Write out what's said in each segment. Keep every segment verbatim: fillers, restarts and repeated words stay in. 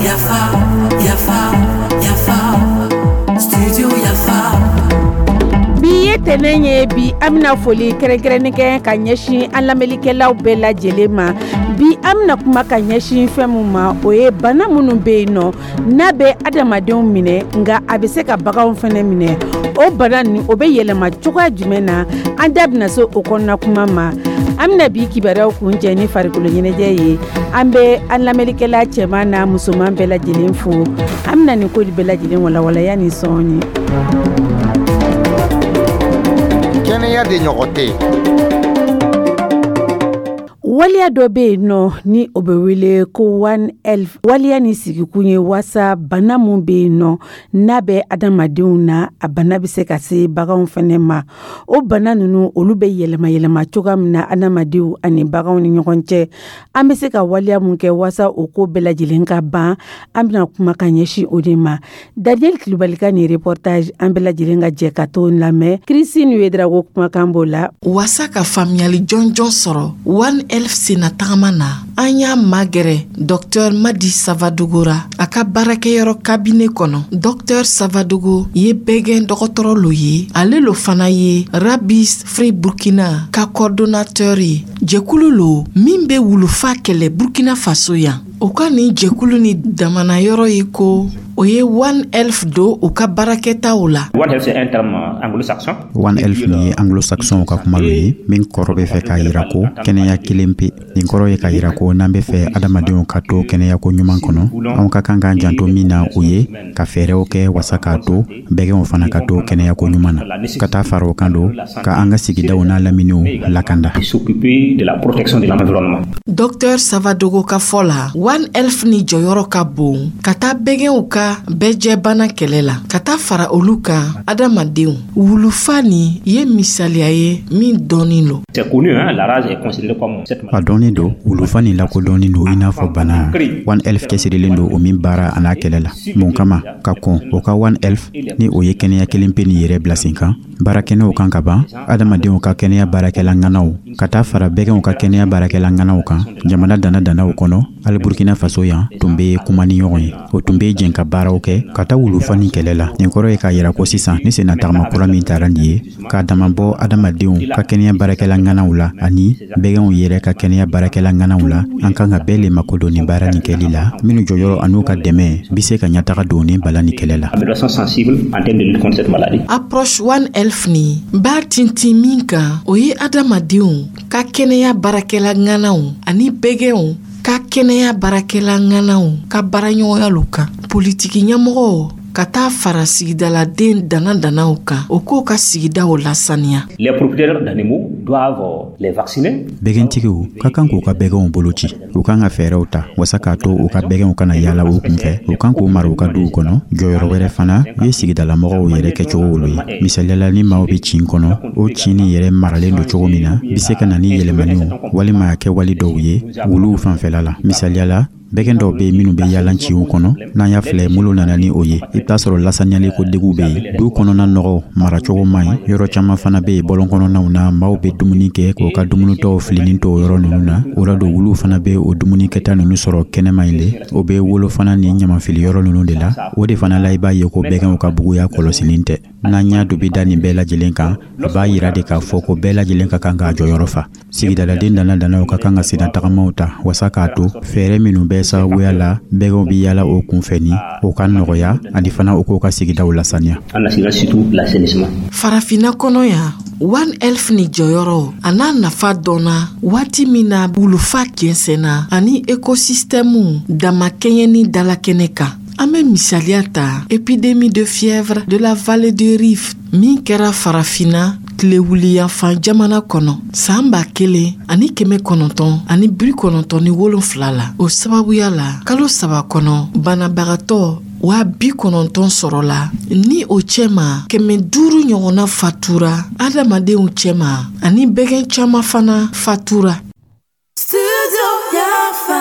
Yafa, yafa, yafa, studio Yafa. Bi ye tɛnɛn ye. Bi an bɛna foli kɛrɛnkɛrɛnnen kɛ ka ɲɛsin an lamɛnlikɛlaw bɛɛ lajɛlen ma. Bi an bɛna kuma ka ɲɛsin fɛn min ma, o ye bana minnu bɛ yen nɔ, n'a bɛ adamadenw minɛ, nka a bɛ se ka baganw fana minɛ. O bana nin, o bɛ yɛlɛma cogoya jumɛn na? An da bɛna se o kɔnɔna kuma ma. An bɛna bi kibaruyaw kuncɛ ni farikolo ɲɛnajɛ ye. An bɛ an lamɛnlikɛla cɛman n'a musoman bɛɛ lajɛlen fo. An bɛna nin ko bɛɛ lajɛlen walawalaya ni sɔɔni. Kɛnɛya de ɲɔgɔn tɛ. Waleya dɔ bɛ yen nɔ ni o bɛ wele ko One Health. Waleya ni sigikun ye waasa bana mun bɛ yen nɔ, n'a bɛ adamadenw na, a bana bɛ se ka se baganw fɛnɛ ma. O bana ninnu, olu bɛ yɛlɛma yɛlɛma cogoya min na adamadenw ani baganw ni ɲɔgɔn cɛ, an bɛ se ka waleya mun kɛ waasa o ko bɛɛ lajɛlen ka ban, an bɛna kuma ka ɲɛsin o de ma. Daniel Kulubali ka nin reportage, an bɛɛ lajɛlen ka jɛ ka t'o lamɛn. Christine Ouedraogo kumakan b'o la. Wasa ka faamuyali jɔnjɔn sɔrɔ One Health senna tagama na, an y'a magɛrɛ Docteur Madi Savadogo ra a ka baarakɛyɔrɔ cabinet kɔnɔ. Docteur Savadogo ye bɛgɛn dɔgɔtɔrɔ lo ye. Ale lo fana ye Rabies Free Burkina ka coordonnateur ye, jɛkulu lo min be wulufa kɛlɛ Burkina Faso yan. O ka nin jɛkulu ni damana yɔrɔ ye ko o ye One Health don u ka baarakɛtaw la. One Health, c'est un terme anglo-saxon. One Health nin ye anglo-saxon ka kuma lo ye min kɔrɔ bɛ fɛ k'a yira ko kɛnɛya kelen pe. Nin kɔrɔ ye k'a yira ko n'an bɛ fɛ adamadenw ka to kɛnɛyako ɲuman kɔnɔ, anw ka kan k'an janto min na, o ye ka fɛɛrɛw kɛ wasa k'a to bɛgɛnw fana ka to kɛnɛyako ɲuman na, ka taa fara o kan don ka an ka sigidaw n'a laminiw lakanda. S'occuper de la protection de l'environnement. Docteur Savadogo ka fɔ la, One Health ni jɔyɔrɔ ka bon ka taa bɛgɛnw ka bɛɛjɛbana kɛlɛ la, ka taa fara olu kan adamadenw. Wulufa ni ye misaliya ye min dɔɔnin lo. C'est connu, hein, la rage est considérée comme cette A dɔɔnin don, wulufa nin lakodɔnnin don i n'a fɔ bana One Health cɛsirilen don o min baara a n'a kɛlɛ la. Mun kama ka kɔn o ka One Health ni o ye kɛnɛya kelen pe nin yɛrɛ bila sen kan, baarakɛnɛw kan ka ban adamadenw ka kɛnɛya baarakɛla ŋanaw ka taa fara bɛgɛnw ka kɛnɛya baarakɛla ŋanaw kan jamana dana danaw kɔnɔ, hali Burkina Faso yan tun bɛ kuma ni ɲɔgɔn ye, o tun bɛ jɛn ka baaraw kɛ ka taa wulufa ni kɛlɛ la. Nin kɔrɔ ye k'a yira ko sisan ni senna tagama kura min taara nin ye k'a dama bɔ adamadenw ka kɛnɛya baarakɛla ŋanaw la ani bɛgɛnw yɛrɛ ka kɛnɛya baarakɛla ŋanaw la, an kan ka bɛɛ le makodon nin baara nin kɛli la, minnu jɔyɔrɔ an'u ka dɛmɛ bi se ka ɲɛtaga don ni bala ni kɛlɛ la. Amélioration sensible en termes de lutte contre cette maladie. Approche One Health ni b'a tintin min kan, o ye adamadenw ka kɛnɛya baarakɛla ŋanaw ani bɛgɛnw ka kɛnɛya baarakɛla ŋanaw ka baaraɲɔgɔnya lo kan, politiki ɲɛmɔgɔw ka taa fara sigidaladen dana danaw kan, o k'o ka sigidaw lasaniya. Les propriétaires d'animaux doivent les vacciner. Bɛgɛntigiw ka kan k'u ka bɛgɛnw bolo ci. U kan ka fɛɛrɛw ta wasa k'a to u ka bɛgɛnw kana yaala u kunfɛ. U kan k'u mara u ka duw kɔnɔ. Jɔyɔrɔ wɛrɛ fana ye sigidalamɔgɔw yɛrɛ kɛcogo wolo ye. Misaliyala, ni maaw be cin kɔnɔ, o cin nin yɛrɛ maralen don cogo min na, bi se ka na ni yɛlɛmaniw walima a kɛwale dɔw ye wuluw fanfɛla la. Misaliyala, bɛgɛn dɔw be yen minnu be yaala ciw kɔnɔ. N'an y'a filɛ, minnu nana ni o ye, i bɛ t'a sɔrɔ lasaniyali ko deguw be yen, du kɔnɔna nɔgɔ maracogo man ɲi. Yɔrɔ caman fana be yen, bɔlɔn kɔnɔnaw na, maaw be dumuni kɛ k'o ka dumunitɔw filinin to o yɔrɔ ninnu na. O la don, wuluw fana be o dumuni kɛta ninnu sɔrɔ kɛnɛma yen le. O be wolo fana ni ɲamafili yɔrɔ ninnu de la. O de fana la, i b'a ye ko bɛgɛnw ka buguya kɔlɔsinin tɛ. N'an y'a dubi da nin bɛɛ lajɛlen kan, a b'a yira de k'a fɔ ko bɛɛ lajɛlen ka kan k'a jɔyɔrɔ fa. Sigidaladen dana danaw ka kan ka senna tagamaw ta wasa k'a to fɛɛrɛ minnu bɛ sababuya la bɛgɛnw bi yala o kunfɛ ni o ka nɔgɔya, ani fana o k'o ka sigidaw lasaniya. En assurant surtout l'assainissement. Farafinna kɔnɔ yan, One Health ni jɔyɔrɔ a n'a nafa dɔnna waati min na wulufa jɛnsɛnna ani écosystème damakɛɲɛni dalakɛnɛ kan. An bɛ misaliya ta épidémie de fièvre de la vallée de Rift min kɛra Farafinna tilewuliyanfan jamana kɔnɔ saan ba kelen ani kɛmɛ kɔnɔntɔn ani bi kɔnɔntɔn ni wolonfila la. O sababuya la, kalo saba kɔnɔ, banabagatɔ waa bi kɔnɔntɔn sɔrɔla, ni o cɛma kɛmɛ duuru ɲɔgɔnna fatura adamadenw cɛma, ani bɛgɛn caaman fana fatura. Studio Yafa.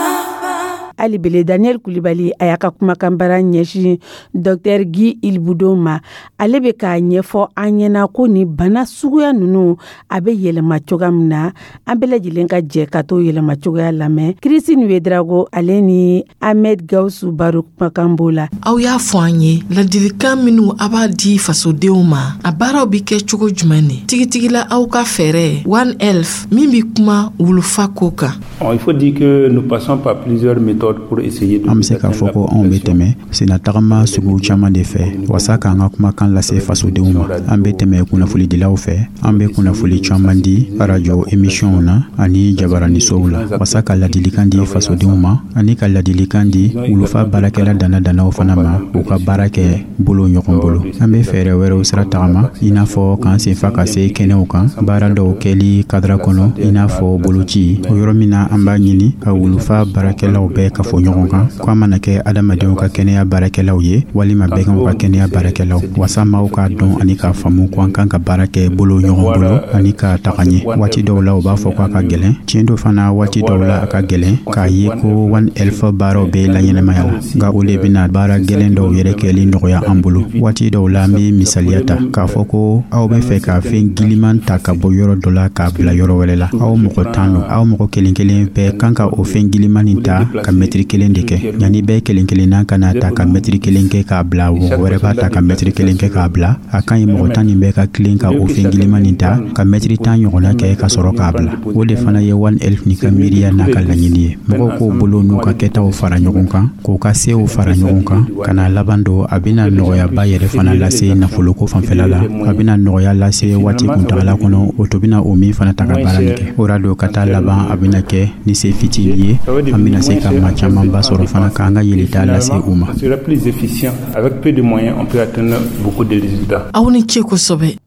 Hali bele, Daniel Kulibali a y'a ka kumakan bara ɲɛsin Docteur Guy Ilboudo ma. Ale bɛ k'a ɲɛfɔ an ɲɛna ko nin bana suguya ninnu, a bɛ yɛlɛma cogoya min na. An bɛɛ lajɛlen ka jɛ ka t'o yɛlɛma cogoya lamɛn. Christine Ouédraogo, ale ni Ahmed Gawusu Baro kumakan b'o la. Aw y'a fɔ an ye, ladilikan minw a b'a di fasodenw ma, a baaraw bi kɛ cogo jumɛn ne tigitigila, aw ka fɛɛrɛ One Health min bi kuma wulufa ko kan? Il faut dire que nous passons par plusieurs méthodes pour essayer de An be se k'a fɔ ko anw be tɛmɛ sennatagama sugu caaman de fɛ wasa k'an ka kumakan lase fasodenw ma. An be tɛmɛ kunnafonidilaw fɛ, an be kunnafoli caaman di arajo emisiyɔnw na ani jabaranisow la, wasa ka ladilikan di fasodenw ma ani ka ladilikan di wulufa baarakɛla dana-danaw fana ma, u ka baara kɛ bolo ɲɔgɔn bolo. An be fɛɛrɛ wɛrɛw sira tagama, i n'a fɔ k'an senfa ka se kɛnɛw kan, baara dɔw kɛli kadara kɔnɔ, i n'a fɔ boloci, o yɔrɔ min na an b'a ɲini ka wulufa baarakɛlaw bɛɛ ka fɔ ɲɔgɔn kan, ko a mana kɛ adamadenw ka kɛnɛya baarakɛlaw ye walima bɛganw ka kɛnɛya baarakɛlaw, wasa maaw k'a dɔn ani k'a faamu ko an kan ka baara kɛ bolo ɲɔgɔn bolo ani ka taga ɲɛ. Waati dɔw la, u b'a fɔ ko a ka gɛlɛn. Tiɲɛ do fana, waati dɔw la a ka gɛlɛn k'a ye ko One Health baaraw bɛ laɲɛnamaya la, nka o le bɛna baara gɛlɛn dɔw yɛrɛ kɛli nɔgɔya an bolo. Waati dɔw la, an bɛ misaliya ta k'a fɔ ko aw bɛ fɛ ka fɛn giliman ta ka bɔ yɔrɔ dɔ la k'a bila yɔrɔ wɛrɛ la. Aw mɔgɔ tan don, aw mɔgɔ kelen kelen bɛɛ kan ka o fɛn giliman nin ta ka mɛtiri kelen de kɛ. Yanni bɛɛ kelen kelenna ka na ta ka mɛtiri kelen kɛ k'a bila, mɔgɔ wɛrɛ b'a ta ka mɛtiri kelen kɛ k'a bila. A ka ɲi mɔgɔ tan nin bɛɛ ka tilen ka o fɛn giliman nin ta ka mɛtiri tan ɲɔgɔnna kɛ ka sɔrɔ k'a bila. O de fana ye One Health ni ka miiriya n'a ka laɲini ye: mɔgɔw k'o bolo n'u ka kɛtaw fara ɲɔgɔn kan, k'u ka sew fara ɲɔgɔn kan ka na laban don. A bɛna nɔgɔyaba yɛrɛ fana lase nafoloko fanfɛla la, a bɛna nɔgɔya lase waati kuntagala kɔnɔ, o to bɛna o min fana ta ka baara nin kɛ. O ra don ka taa laban, a bɛna kɛ ni se fitinin ye, an bɛna se ka maa camanba sɔrɔ fana k'an ka yelita lase u ma. Sera plus efficient. Avec peu de moyens, on peut atteindre beaucoup de résultats. Aw ni ce kosɛbɛ.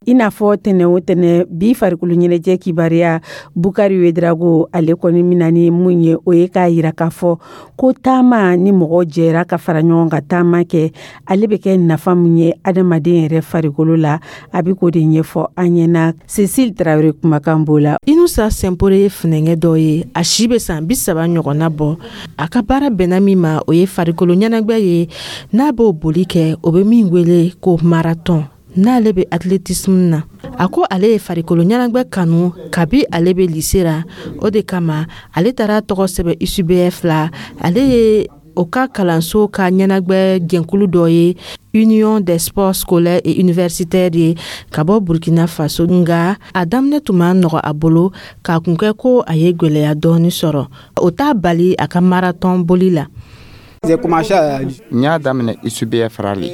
I n'a fɔ tɛnɛ o tɛnɛ, bi farikolo ɲɛnajɛ kibaruya, Bukari Ouédraogo ale kɔni mina ni mun ye, o ye k'a yira k'a fɔ ko taama ni mɔgɔ jɛra ka fara ɲɔgɔn ka taama kɛ, ale bɛ kɛ nafa mun ye adamaden yɛrɛ farikolo la, a bɛ k'o de ɲɛfɔ an ɲɛna. Cécile Traoré kumakan b'o la. Inusa Sɛnpore ye funɛngɛ dɔ ye, a si bɛ san bi saba ɲɔgɔnna bɔ. A ka baara bɛnna min ma, o ye farikolo ɲɛnajɛ ye n'a b'o boli kɛ, o bɛ min wele ko marathon, n'ale bɛ athlétisme na. A ko ale ye farikolo ɲɛnajɛ kanu kabi ale bɛ lycée la. O de kama ale taara tɔgɔ sɛbɛn U C B F la. Ale ye o ka kalanso ka ɲɛnajɛ jɛnkulu dɔ ye, Union des sports scolaires et universitaires ye, ka bɔ Burkina Faso. Nka a daminɛ tun ma nɔgɔ a bolo, k'a kun kɛ ko a ye gwɛlɛya dɔɔni sɔrɔ. O t'a bali a ka marathon boli la. N y'a daminɛ U C B F rali.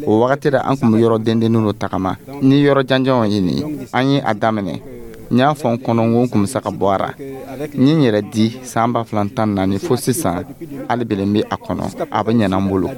O wagati la, an kun bɛ yɔrɔ dendennin dɔ tagama ni yɔrɔ janjanw ye. Nin an ye a daminɛ, n y'a fɔ n kɔnɔ ko n kun bɛ se ka bɔ a ra. N ye n yɛrɛ di san ba fila tan naani fo sisan, hali bele n bɛ a kɔnɔ, a bɛ ɲɛna n bolo.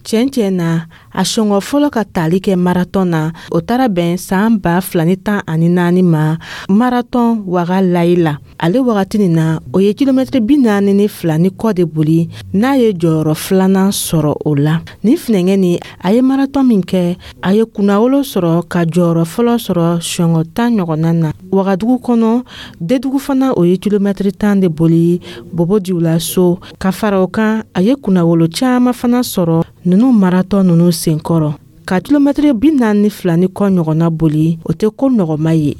Tiɲɛ tiɲɛ na, a sɔngɔ fɔlɔ ka tali kɛ marathon na, o taara bɛn san ba fila ni tan ani naani ma, marathon Waga Layi la. Ale wagati nin na, o ye kilomɛtiri bi naani ni fila ni kɔ de boli, n'a ye jɔyɔrɔ filanan sɔrɔ o la. Nin finɛngɛ nin, a ye marathon min kɛ, a ye kunnawolo sɔrɔ ka jɔyɔrɔ fɔlɔ sɔrɔ sɔngɔ tan ɲɔgɔnna na Wagadugu kɔnɔ. Dedugu fana, o ye kilomɛtiri tan de boli Bobo Dioulasso. Ka fara o kan, a ye kunnawolo caman fana sɔrɔ ninnu marathon ninnu senkɔrɔ. Ka kilomɛtiri bi naani ni fila ni kɔ ɲɔgɔnna boli, o tɛ ko nɔgɔma ye.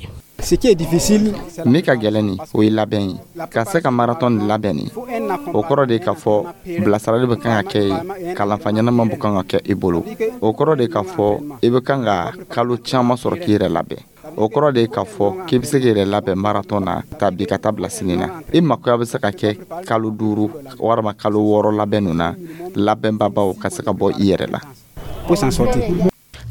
Min ka gɛlɛn nin, o ye labɛn ye. Ka se ka marathon nin labɛn nin, o kɔrɔ de k'a fɔ bilasirali bɛ kan ka kɛ ye, kalanfa ɲɛnama bɛ kan ka kɛ i bolo. O kɔrɔ de k'a fɔ i bɛ kan ka kalo caman sɔrɔ k'i yɛrɛ labɛn. O kɔrɔ de k'a fɔ k'i bɛ se k'i yɛrɛ labɛn marathon na ta bi ka taa bila sini na. I makoya bɛ se ka kɛ kalo duuru walima kalo wɔɔrɔ labɛn ninnu na, labɛnbabaw ka se ka bɔ i yɛrɛ la.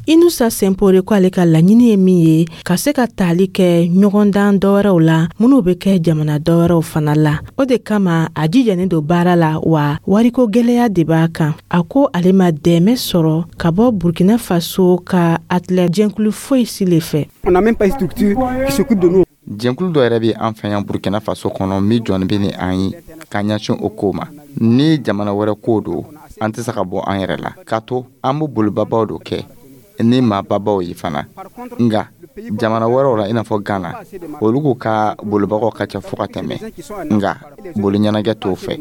Inusa Sɛnpore ko ale ka laɲini ye min ye, ka se ka tali kɛ ɲɔgɔndan dɔwɛrɛw la minnu bɛ kɛ jamana dɔwɛrɛw fana la. O de kama a jijalen don baara la, wa wariko gwɛlɛya de b'a kan. A ko ale ma dɛmɛ sɔrɔ ka bɔ Burkina Faso ka athlète jɛnkulu foyi si le fɛ. Jɛnkulu dɔ yɛrɛ bɛ an fɛ yan Burkina Faso kɔnɔ min jɔnni bɛ ni an ye ka ɲɛsin o ko ma. Ni jamana wɛrɛ ko don, an tɛ se ka bɔ an yɛrɛ la, k'a to an bɛ bolibabaw dɔ kɛ ni maababaw ye fana. Nka Jamana wɛrɛw la, i n'a fɔ Ghana, olu k'u ka bolibagaw ka ca fo ka tɛmɛ, nka boli ɲɛnajɛ t'o fɛ.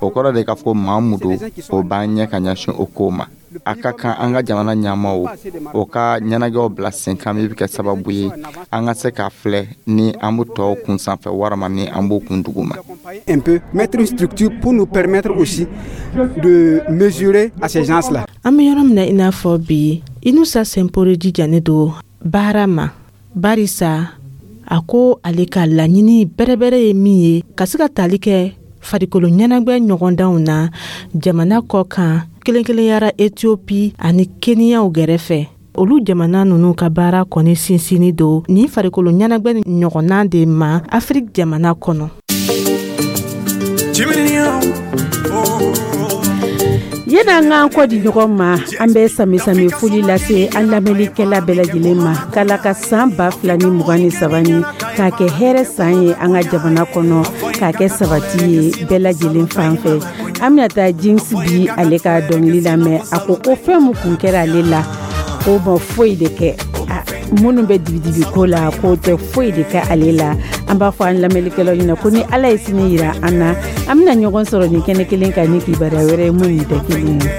O kɔrɔ de k'a fɔ maa mun don, o b'an ɲɛ ka ɲɛsin o ko ma. A ka kan an ka jamana ɲɛmaw o ka ɲɛnajɛw bila sen kan min bɛ kɛ sababu ye an ka se k'a filɛ ni an bɛ tɔw kun sanfɛ walima ni an b'o kun dugu ma. Un peu mettre une structure pour nous permettre aussi de mesurer à ces gens-là. An bɛ yɔrɔ min na i n'a fɔ bi, Inusa Sɛnpore jijanen don baara ma, barisa a ko ale ka laɲini bɛrɛbɛrɛ ye min ye, ka se ka tali kɛ farikolo ɲɛnajɛ ɲɔgɔndanw na jamana kɔ kan, kelen kelenyara Etiopi ani Keniyaw gɛrɛfɛ. Olu jamana ninnu ka baara kɔni sinsinni don nin farikolo ɲɛnajɛ ɲɔgɔnna de ma Afiriki jamana kɔnɔ. Yanni an k'an kɔ di ɲɔgɔn ma, an bɛ sami-sami foli lase an lamɛnnikɛla bɛɛ lajɛlen ma, k'Ala ka san ba fila ni mugan ni saba ni k'a kɛ hɛrɛ san ye an ka jamana kɔnɔ, k'a kɛ sabati ye bɛɛ lajɛlen fan fɛ. An bɛna taa Jinsi bi ale ka dɔnkili lamɛn. A ko ko fɛn min kun kɛra ale la, k'o ma foyi de kɛ. Minnu bɛ dibidibi ko la, k'o tɛ foyi de kɛ ale la. An b'a fɔ an lamɛnnikɛlaw ɲɛna ko ni Ala ye sini yira an na, an bɛna ɲɔgɔn sɔrɔ nin kɛnɛ kelen kan ni kibaruya wɛrɛ ye mun nin tɛ kelen ye.